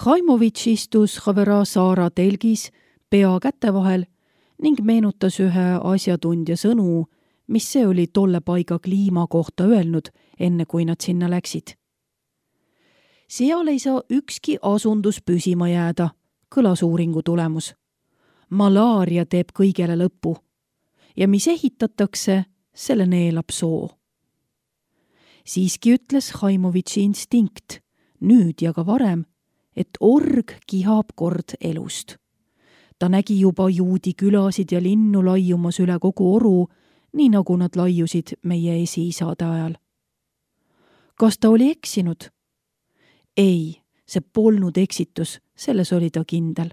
Haimovitš istus Havera Saara telgis pea käte vahel ning meenutas ühe asjatundja sõnu, mis see oli tolle paiga kliima kohta öelnud, enne kui nad sinna läksid. Seal ei saa ükski asundus püsima jääda, kõlas uuringu tulemus. Malaaria teeb kõigele lõpu ja mis ehitatakse, selle neelab soo. Siiski ütles Haimovitši instinkt, nüüd ja ka varem, et org kihab kord elust. Ta nägi juba juudi külasid ja linnu laiumas üle kogu oru, nii nagu nad laiusid meie esiisade ajal. Kas ta oli eksinud? Ei, see polnud eksitus, selles oli ta kindel.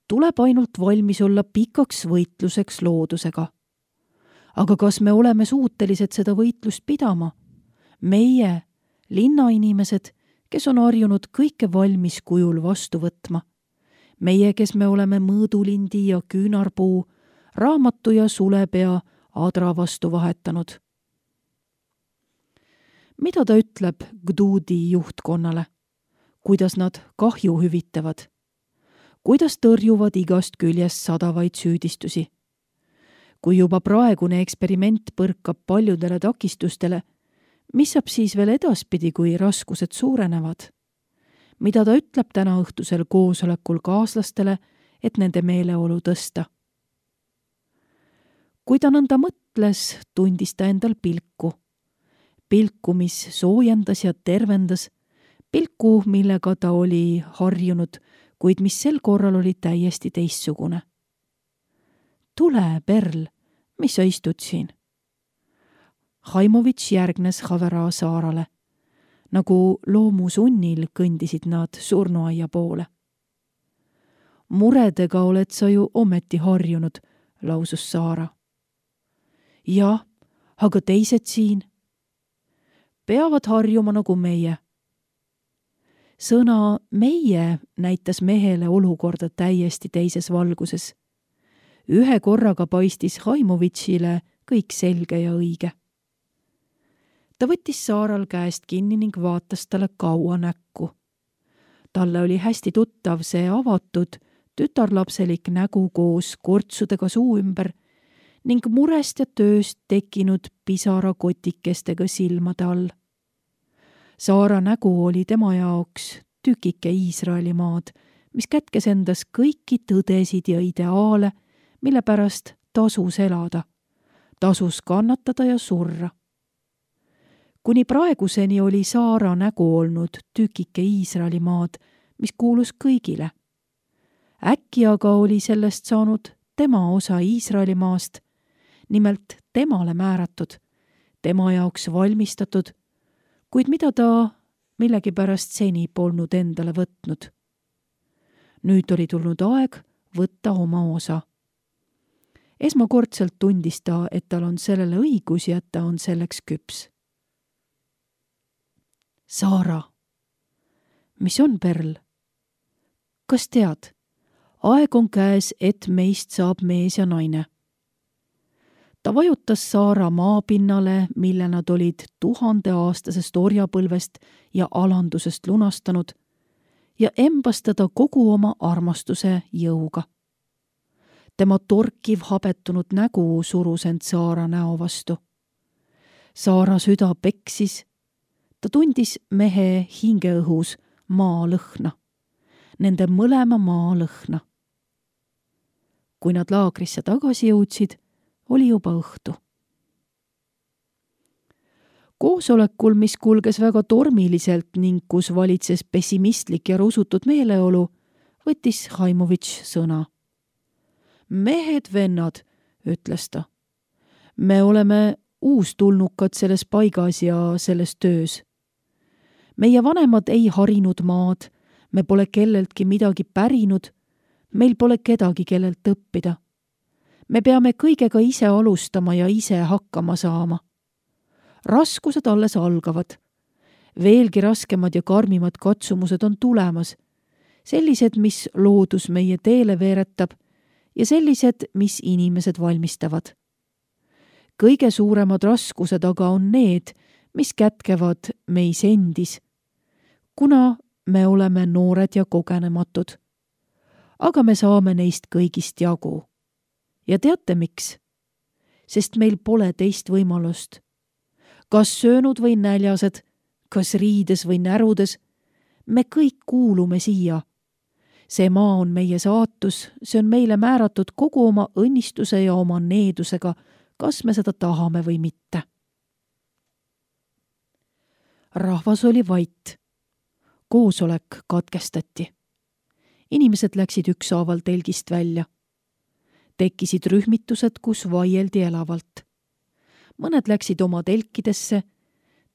Tuleb ainult valmis olla pikaks võitluseks loodusega. Aga kas me oleme suutelised seda võitlust pidama? Meie, linnainimesed, kes on harjunud kõike valmis kujul vastu võtma. Meie, kes me oleme mõõdulindi ja küünarpuu, raamatu ja sulepea adra vastu vahetanud. Mida ta ütleb Gdudi juhtkonnale? Kuidas nad kahju hüvitavad? Kuidas tõrjuvad igast küljest sadavaid süüdistusi? Kui juba praegune eksperiment põrkab paljudele takistustele, mis saab siis veel edaspidi, kui raskused suurenevad? Mida ta ütleb täna õhtusel koosolekul kaaslastele, et nende meeleolu tõsta? Kui ta nõnda mõtles, tundis ta endal pilku. Pilku, mis soojendas ja tervendas, pilku, millega ta oli harjunud, kuid mis sel korral oli täiesti teistsugune. Tule, Perl, mis sa istud siin? Haimovitš järgnes Havera Saarale. Nagu loomusunnil kõndisid nad surnuaia poole. Muredega oled sa ju ometi harjunud, lausus Saara. Jah, aga teised siin peavad harjuma nagu meie. Sõna meie näitas mehele olukorda täiesti teises valguses. Ühe korraga paistis Haimovitšile kõik selge ja õige. Ta võttis Saaral käest kinni ning vaatas talle kaua näkku. Talle oli hästi tuttav see avatud, tütarlapselik nägu koos kortsudega suu ümber ning murest ja tööst tekkinud pisarakotikestega silmade all. Saara nägu oli tema jaoks tükike Iisraeli maad, mis kätkes endas kõiki tõdesid ja ideaale, mille pärast tasus elada, tasus kannatada ja surra. Kuni praeguseni oli Saara nägu olnud tükike Iisraeli maad, mis kuulus kõigile. Äkki aga oli sellest saanud tema osa Iisraeli maast, nimelt temale määratud, tema jaoks valmistatud, kuid mida ta millegipärast seni polnud endale võtnud. Nüüd oli tulnud aeg võtta oma osa. Esmakordselt tundis ta, et tal on sellele õigus ja et ta on selleks küps. Saara, mis on, Perl? Kas tead, aeg on käes, et meist saab mees ja naine. Ta vajutas Saara maapinnale, mille nad olid 1000-aastasest orjapõlvest ja alandusest lunastanud, ja embas teda kogu oma armastuse jõuga. Tema torkiv habetunud nägu surus end Saara näo vastu. Saara süda peksis. Ta tundis mehe hingeõhus maa lõhna, nende mõlema maa lõhna. Kui nad laagrisse tagasi jõudsid, oli juba õhtu. Koosolekul, mis kulges väga tormiliselt ning kus valitses pessimistlik ja rusutud meeleolu, võttis Haimovitš sõna. Mehed, vennad, ütles ta. Me oleme uustulnukad selles paigas ja selles töös. Meie vanemad ei harinud maad, me pole kelleltki midagi pärinud, meil pole kedagi, kellelt õppida. Me peame kõigega ise alustama ja ise hakkama saama. Raskused alles algavad. Veelgi raskemad ja karmimad katsumused on tulemas. Sellised, mis loodus meie teele veeretab ja sellised, mis inimesed valmistavad. Kõige suuremad raskused aga on need, mis kätkevad meis endis, kuna me oleme noored ja kogenematud. Aga me saame neist kõigist jagu. Ja teate miks? Sest meil pole teist võimalust. Kas söönud või näljased, kas riides või närudes, me kõik kuulume siia. See maa on meie saatus, see on meile määratud kogu oma õnnistuse ja oma needusega, kas me seda tahame või mitte. Rahvas oli vait. Koosolek katkestati. Inimesed läksid ükshaaval telgist välja. Tekkisid rühmitused, kus vaieldi elavalt. Mõned läksid oma telkidesse,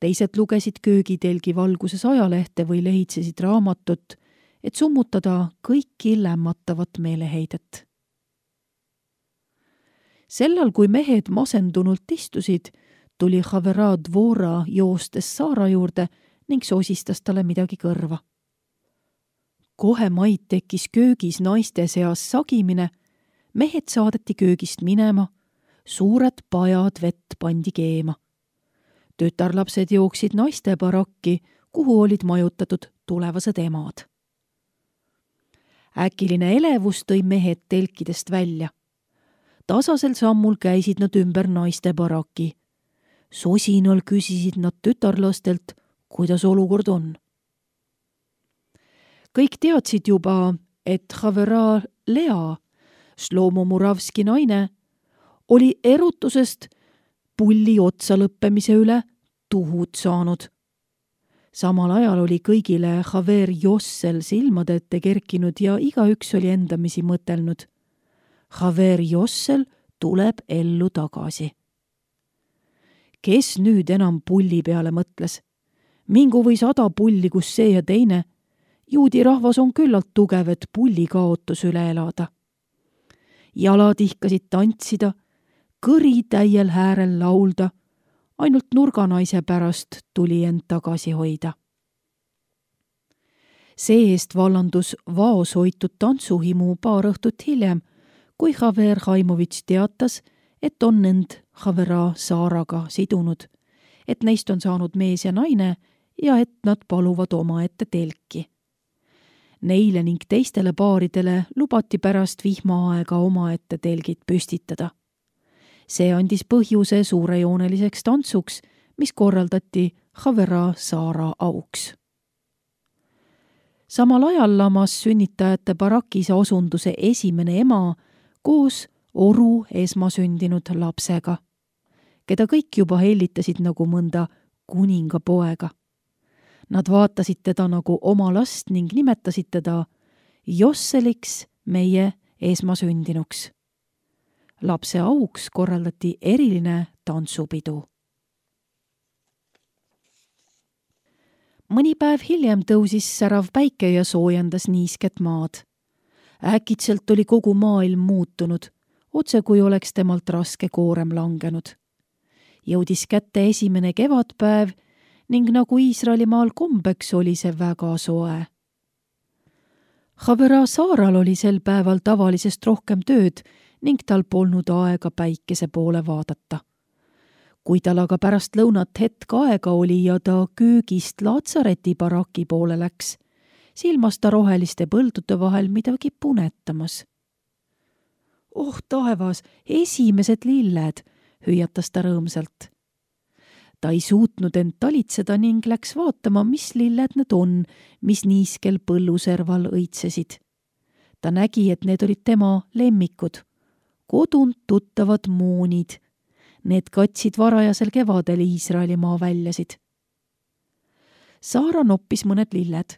teised lugesid köögitelgi valguses ajalehte või lehitsesid raamatut, et summutada kõiki lämmatavat meeleheidet. Sellal, kui mehed masendunult istusid, tuli Havera Dvora joostes Saara juurde ning sosistas talle midagi kõrva. Kohe maid tekkis köögis naiste seas sagimine, mehed saadeti köögist minema, suured pajad vett pandi keema. Tütarlapsed jooksid naiste barakki, kuhu olid majutatud tulevased emad. Äkiline elevus tõi mehed telkidest välja. Tasasel sammul käisid nad ümber naiste baraki. Sosinal küsisid nad tütarlastelt, kuidas olukord on. Kõik teadsid juba, et Havera Lea, Shlomo Muravski naine, oli erutusest pulli otsa lõppemise üle tuhud saanud. Samal ajal oli kõigile Haver Jossel silmade ette kerkinud ja igaüks oli endamisi mõtelnud. Haver Jossel tuleb ellu tagasi. Kes nüüd enam pulli peale mõtles? Mingu või 100 pulli, kus see ja teine. Juudi rahvas on küllalt tugev, et pulli kaotus üle elada. Jalad ihkasid tantsida, kõri täiel häärel laulda, ainult nurganaise pärast tuli end tagasi hoida. See-eest vallandus vaoshoitud tantsuhimu paar õhtut hiljem, kui Haver Haimovitš teatas, et on end Havera Saaraga sidunud, et neist on saanud mees ja naine ja et nad paluvad omaette telki. Neile ning teistele paaridele lubati pärast vihmaaega omaette telgid püstitada. See andis põhjuse suurejooneliseks tantsuks, mis korraldati Havera Saara auks. Samal ajal lamas sünnitajate barakis osunduse esimene ema koos oru esmasündinud lapsega, keda kõik juba hellitasid nagu mõnda kuningapoega. Nad vaatasid teda nagu oma last ning nimetasid teda Josseliks, meie esmasündinuks. Lapse auks korraldati eriline tantsupidu. Mõni päev hiljem tõusis särav päike ja soojendas niisket maad. Äkitselt oli kogu maailm muutunud, otse kui oleks temalt raske koorem langenud. Jõudis kätte esimene kevadpäev ning nagu Iisraelimaal kombeks oli see väga soe. Havera Saaral oli sel päeval tavalisest rohkem tööd ning tal polnud aega päikese poole vaadata. Kui tal aga pärast lõunat hetk aega oli ja ta köögist Laatsareti baraki poole läks, silmas ta roheliste põldude vahel midagi punetamas. Oh taevas, esimesed lilled, hüüatas ta rõõmsalt. Ta ei suutnud end talitseda ning läks vaatama, mis lilled need on, mis niiskel põlluserval õitsesid. Ta nägi, et need olid tema lemmikud, kodunt tuttavad moonid. Need katsid varajasel kevadel Iisraelimaa väljasid. Saara noppis mõned lilled.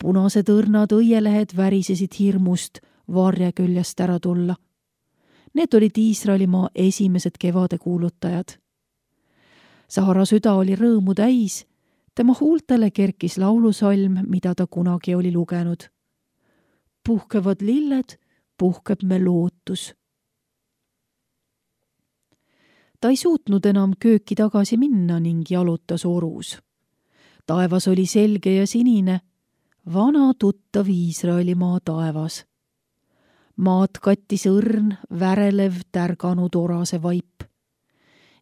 Punased õrnad õielehed värisesid hirmust varje küljest ära tulla. Need olid Iisraelimaa esimesed kevade kuulutajad. Saara süda oli rõõmu täis, tema huultele kerkis laulusalm, mida ta kunagi oli lugenud. Puhkevad lilled, puhkeb me lootus. Ta ei suutnud enam kööki tagasi minna ning jalutas orus. Taevas oli selge ja sinine, vana tuttav Iisraelimaa taevas. Maad kattis õrn, värelev, tärganud orase vaip.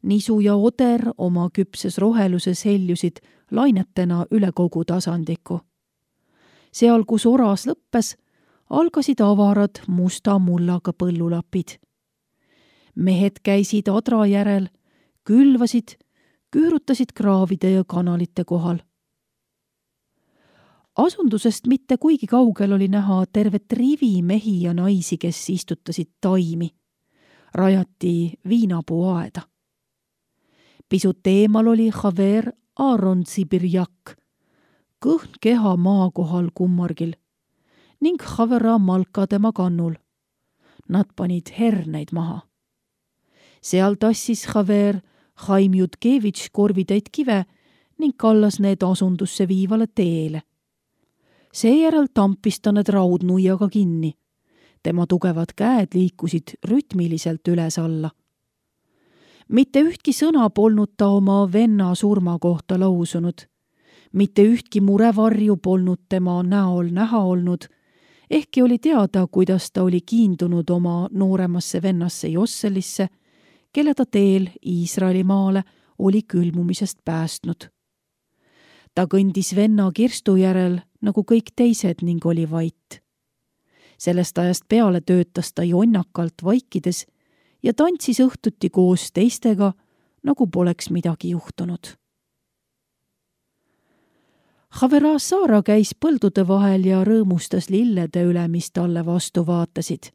Nisu ja oder oma küpses roheluses heljusid lainetena üle kogu tasandiku. seal, kus oras lõppes, algasid avarad musta mullaga põllulapid. Mehed käisid adra järel, külvasid, küürutasid kraavide ja kanalite kohal. Asundusest mitte kuigi kaugel oli näha tervet rivi mehi ja naisi, kes istutasid taimi. Rajati viinapuuaeda. Pisut eemal oli Haver Aaron Sibirjak, kõhn keha maa kohal kummargil ning Havera malka tema kannul. Nad panid herneid maha. Seal tassis Haver Haim Jutkevitš korvitäit kive ning kallas need asundusse viivale teele. Seejärel tampis ta need raudnuiaga kinni. Tema tugevad käed liikusid rütmiliselt üles-alla. Mitte ühtki sõna polnud ta oma venna surma kohta lausunud. Mitte ühtki murevarju polnud tema näol näha olnud, ehkki oli teada, kuidas ta oli kiindunud oma nooremasse vennasse Josselisse, kelle ta teel Iisraeli maale oli külmumisest päästnud. Ta kõndis venna kirstu järel nagu kõik teised ning oli vait. Sellest ajast peale töötas ta jonnakalt vaikides ja tantsis õhtuti koos teistega, nagu poleks midagi juhtunud. Havera Saara käis põldude vahel ja rõõmustas lillede üle, mis talle vastu vaatasid.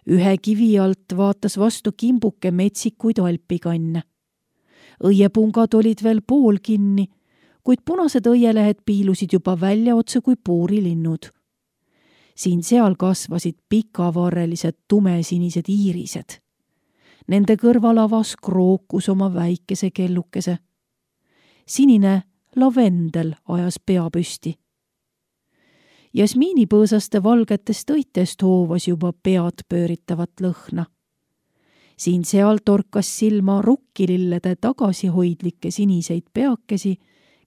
Ühe kivi alt vaatas vastu kimbuke metsikuid alpikanne. Õiepungad olid veel pool kinni, kuid punased õielehed piilusid juba välja otse kui puurilinnud. Siin-seal kasvasid pikavarrelised tumesinised iirised. Nende kõrval avas krookus oma väikese kellukese. Sinine lavendel ajas pea püsti. Jasmiinipõõsaste valgetest õitest hoovas juba pead pööritavat lõhna. Siin-seal torkas silma rukkilillede tagasihoidlikke siniseid peakesi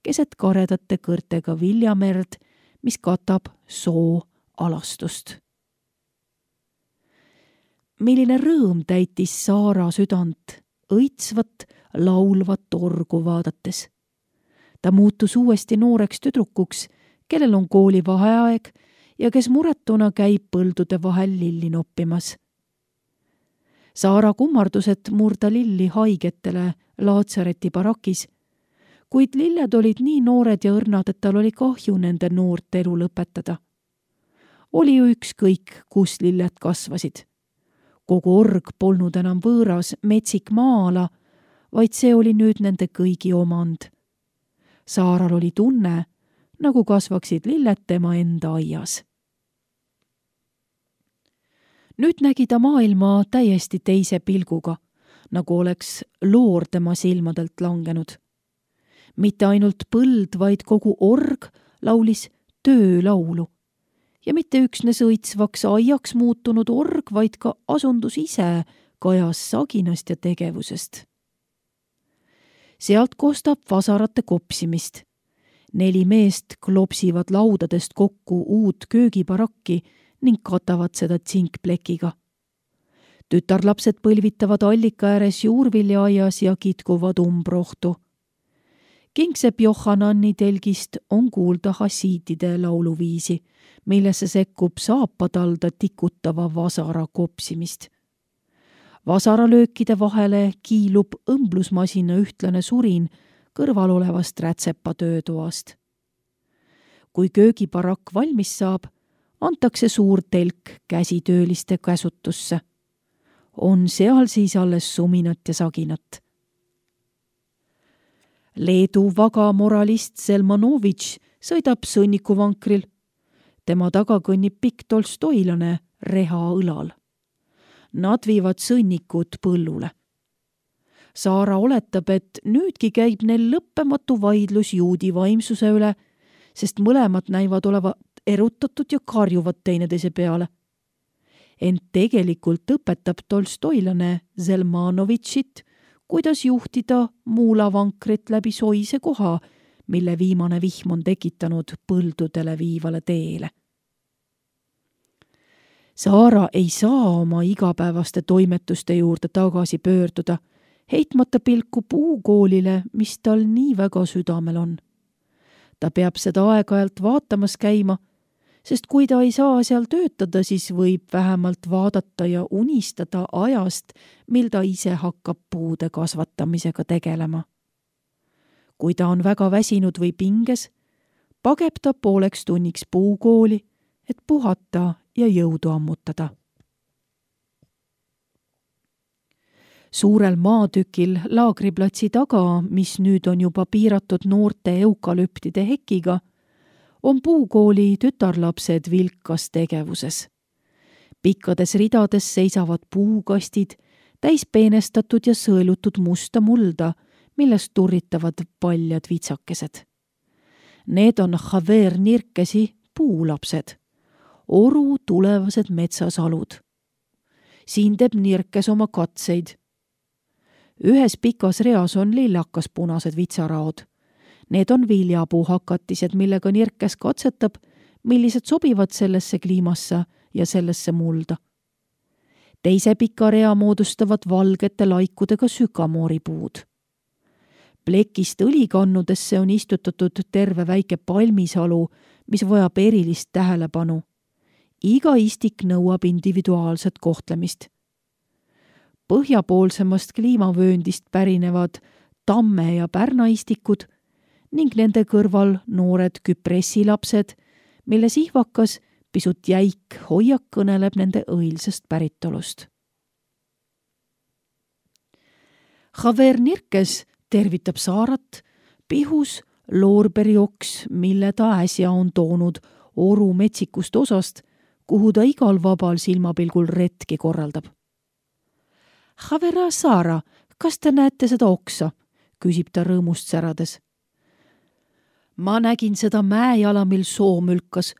keset karedate kõrtega viljamerd, mis katab soo alastust. Milline rõõm täitis Saara südant, õitsvat, laulvat orgu vaadates. Ta muutus uuesti nooreks tüdrukuks, kellel on kooli vaheaeg ja kes muretuna käib põldude vahel lilli noppimas. Saara kummardused murda lilli haigetele Laatsareti barakis, kuid lilled olid nii noored ja õrnad, et tal oli kahju nende noort elu lõpetada. Oli ju ükskõik, kus lilled kasvasid. Kogu org polnud enam võõras metsik maa-ala, vaid see oli nüüd nende kõigi omand. Saaral oli tunne, nagu kasvaksid lilled tema enda aias. Nüüd nägi ta maailma täiesti teise pilguga, nagu oleks loor tema silmadelt langenud. Mitte ainult põld, vaid kogu org laulis töölaulu. Ja mitte üksnes õitsvaks aiaks muutunud org, vaid ka asundus ise kajas saginast ja tegevusest. Sealt kostab vasarate kopsimist. 4 meest klopsivad laudadest kokku uut köögibarakki ning katavad seda tsinkplekiga. Tütarlapsed põlvitavad allika ääres juurviljaaias ja kitkuvad umbrohtu. Kingsepp Johannani telgist on kuulda hasiitide lauluviisi, millesse sekkub saapatalda tikutava vasara kopsimist. Vasaralöökide vahele kiilub õmblusmasina ühtlane surin kõrval olevast rätsepa töötoast. Kui köögibarakk valmis saab, antakse suur telk käsitööliste käsutusse. On seal siis alles suminat ja saginat. Leedu vaga moralist Selmanovitš sõidab sõnnikuvankril. Tema taga kõnnib pikk tolstoilane reha õlal. Nad viivad sõnnikud põllule. Saara oletab, et nüüdki käib neil lõppematu vaidlus juudi vaimsuse üle, sest mõlemad näivad olevat erutatud ja karjuvad teineteise peale. Ent tegelikult õpetab tolstoilane Zelmanovitšit, kuidas juhtida muulavankrit läbi soise koha, mille viimane vihm on tekitanud põldudele viivale teele. Saara ei saa oma igapäevaste toimetuste juurde tagasi pöörduda, heitmata pilku puukoolile, mis tal nii väga südamel on. Ta peab seda aeg-ajalt vaatamas käima, sest kui ta ei saa seal töötada, siis võib vähemalt vaadata ja unistada ajast, mil ta ise hakkab puude kasvatamisega tegelema. Kui ta on väga väsinud või pinges, pageb ta pooleks tunniks puukooli, et puhata ja jõudu ammutada. Suurel maatükil laagriplatsi taga, mis nüüd on juba piiratud noorte eukalüptide hekiga, on puukooli tütarlapsed vilkas tegevuses. Pikkades ridades seisavad puukastid, täis peenestatud ja sõelutud musta mulda, millest turritavad paljad vitsakesed. Need on Javier Nirkesi puulapsed, oru tulevased metsasalud. Siin teeb Nirkes oma katseid. Ühes pikas reas on lillakas-punased vitsaraod. Need on viljapuuhakatised, millega Nirkes katsetab, millised sobivad sellesse kliimasse ja sellesse mulda. Teise pika rea moodustavad valgete laikudega sükamooripuud. Plekist õlikannudesse on istutatud terve väike palmisalu, mis vajab erilist tähelepanu. Iga istik nõuab individuaalset kohtlemist. Põhjapoolsemast kliimavööndist pärinevad tamme- ja pärnaistikud ning nende kõrval noored küpressilapsed, mille sihvakas, pisut jäik hoiak kõneleb nende õilsest päritolust. Javier Nirkes tervitab Saarat pihus loorberioks, mille ta äsja on toonud oru metsikust osast, kuhu ta igal vabal silmapilgul retki korraldab. Javera Saara, kas te näete seda oksa? Küsib ta rõõmust särades. Ma nägin seda mäejala, mil soo mülkas.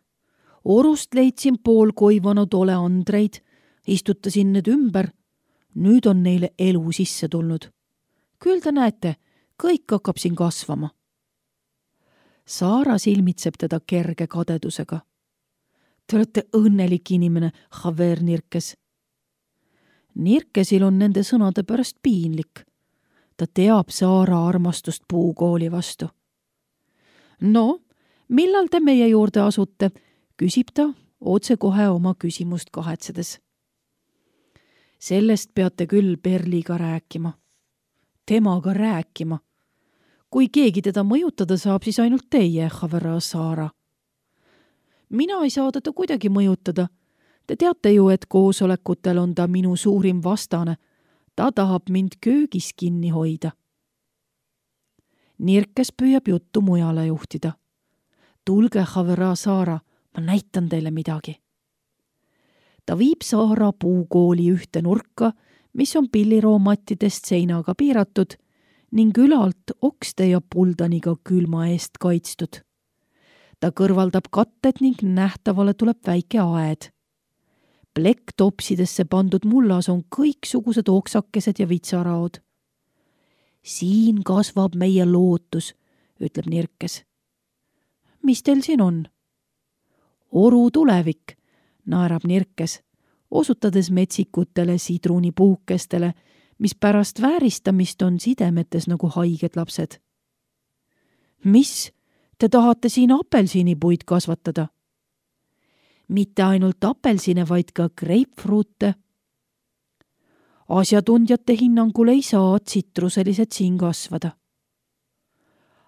Orust leidsin pool koivanud oleandreid, istutasin need ümber. Nüüd on neile elu sisse tulnud. Küll te näete, kõik hakkab siin kasvama. Saara silmitseb teda kerge kadedusega. Te olete õnnelik inimene, Javier Nirkes. Nirkesil on nende sõnade pärast piinlik. Ta teab Saara armastust puukooli vastu. No, millal te meie juurde asute? Küsib ta otsekohe oma küsimust kahetsedes. Sellest peate küll Perliga rääkima. Temaga rääkima. Kui keegi teda mõjutada saab, siis ainult teie, Javera Saara. Mina ei saa teda kuidagi mõjutada. Te teate ju, et koosolekutel on ta minu suurim vastane. Ta tahab mind köögis kinni hoida. Nirkes püüab juttu mujale juhtida. Tulge, Javera Saara, ma näitan teile midagi. Ta viib Saara puukooli ühte nurka, mis on pilliroomattidest seinaga piiratud ning ülalt okste ja puldaniga külma eest kaitstud. Ta kõrvaldab katted ning nähtavale tuleb väike aed. Plekktopsidesse pandud mullas on kõiksugused oksakesed ja vitsaraod. Siin kasvab meie lootus, ütleb Nirkes. Mis teil siin on? Oru tulevik, naerab Nirkes, osutades metsikutele sidrunipuukestele, mis pärast vääristamist on sidemetes nagu haiged lapsed. Mis? Te tahate siin apelsinipuid kasvatada? Mitte ainult apelsine, vaid ka greipfruute. Asjatundjate hinnangul ei saa tsitruselised siin kasvada.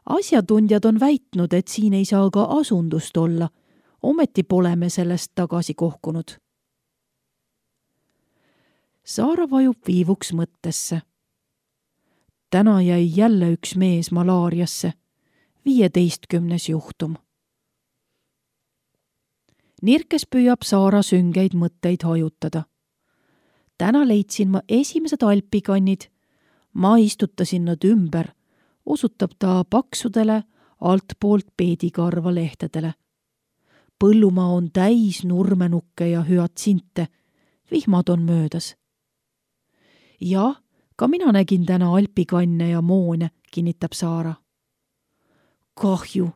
Asjatundjad on väitnud, et siin ei saa ka asundust olla, ometi pole me sellest tagasi kohkunud. Saara vajub viivuks mõttesse. Täna jäi jälle üks mees malaariasse, 15. juhtum. Nirkes püüab Saara süngeid mõtteid hajutada. Täna leidsin ma esimesed alpikannid. Ma istutasin nad ümber, osutab ta paksudele altpoolt peedikarva lehtedele. Põllumaa on täis nurmenukke ja hüatsinte. Vihmad on möödas. Jah, ka mina nägin täna alpikanne ja moone, kinnitab Saara. Kahju,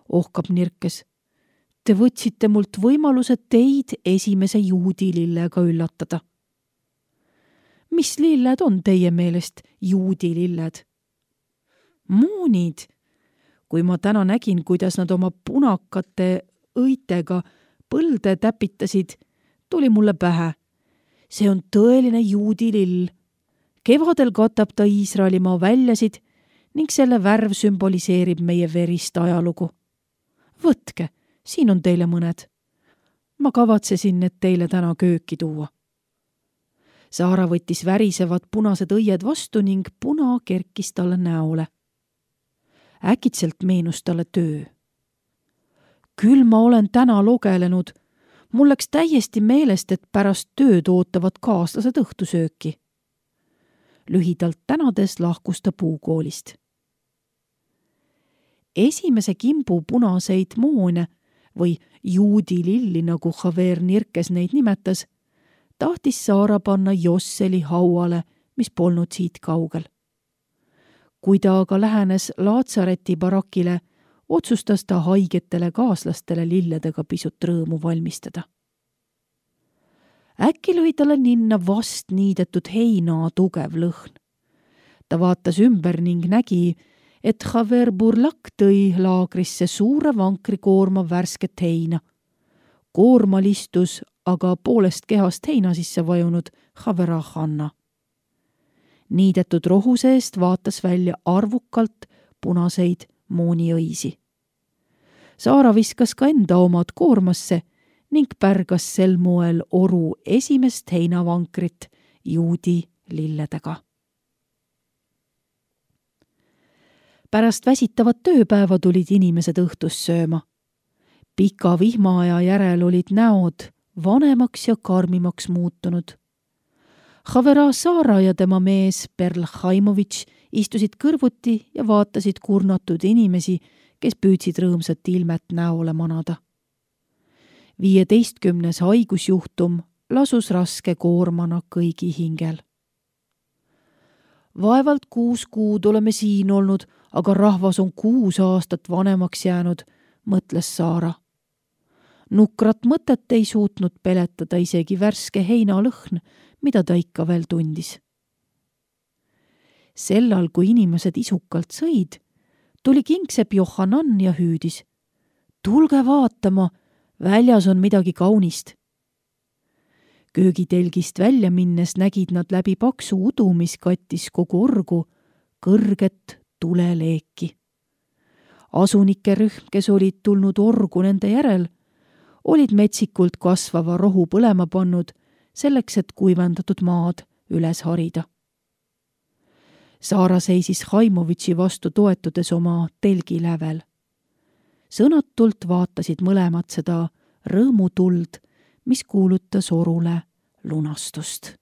ohkab Nirkes. Te võtsite mult võimaluse teid esimese juudilillega üllatada. Mis lilled on teie meelest juudililled? Muunid. Kui ma täna nägin, kuidas nad oma punakate õitega põlde täpitasid, tuli mulle pähe. See on tõeline juudi lill. Kevadel katab ta Iisraelimaa väljasid ning selle värv sümboliseerib meie verist ajalugu. Võtke, siin on teile mõned. Ma kavatsesin need teile täna kööki tuua. Saara võttis värisevad punased õied vastu ning puna kerkis talle näole. Äkitselt meenus talle töö. Küll ma olen täna logelenud. Mul läks täiesti meelest, et pärast tööd ootavad kaaslased õhtusööki. Lühidalt tänades lahkus ta puukoolist. Esimese kimbu punaseid moone või juudi lilli, nagu Javer Nirkes neid nimetas, tahtis Saara panna Josseli hauale, mis polnud siit kaugel. Kui ta aga lähenes Laatsareti barakile, otsustas ta haigetele kaaslastele lilledega pisut rõõmu valmistada. Äkki lõi talle ninna vast niidetud heina tugev lõhn. Ta vaatas ümber ning nägi, et Javer Burlak tõi laagrisse suure vankrikoorma värsket heina. Koormal istus aga poolest kehast heina sisse vajunud Javera Hanna. Niidetud rohu seest vaatas välja arvukalt punaseid mooniõisi. Saara viskas ka enda omad koormasse ning pärgas sel moel oru esimest heinavankrit juudi lilledega. Pärast väsitavat tööpäeva tulid inimesed õhtust sööma. Pika vihmaaja järel olid näod vanemaks ja karmimaks muutunud. Javera Saara ja tema mees Perl Haimovitš istusid kõrvuti ja vaatasid kurnatud inimesi, kes püüdsid rõõmsat ilmet näole manada. 15. haigusjuhtum lasus raske koormana kõigi hingel. Vaevalt 6 kuud oleme siin olnud, aga rahvas on 6 aastat vanemaks jäänud, mõtles Saara. Nukrat mõtet ei suutnud peletada isegi värske heinalõhn, mida ta ikka veel tundis. Sellal, kui inimesed isukalt sõid, tuli kingsepp Johanan ja hüüdis. Tulge vaatama, väljas on midagi kaunist. Köögitelgist välja minnes nägid nad läbi paksu udu, mis kattis kogu orgu, kõrget tuleleeki. Asunike rühm, kes olid tulnud orgu nende järel, olid metsikult kasvava rohu põlema pannud, selleks, et kuivendatud maad üles harida. Saara seisis Haimovitši vastu toetudes oma telgi lävel. Sõnatult vaatasid mõlemad seda rõõmutuld, mis kuulutas orule lunastust.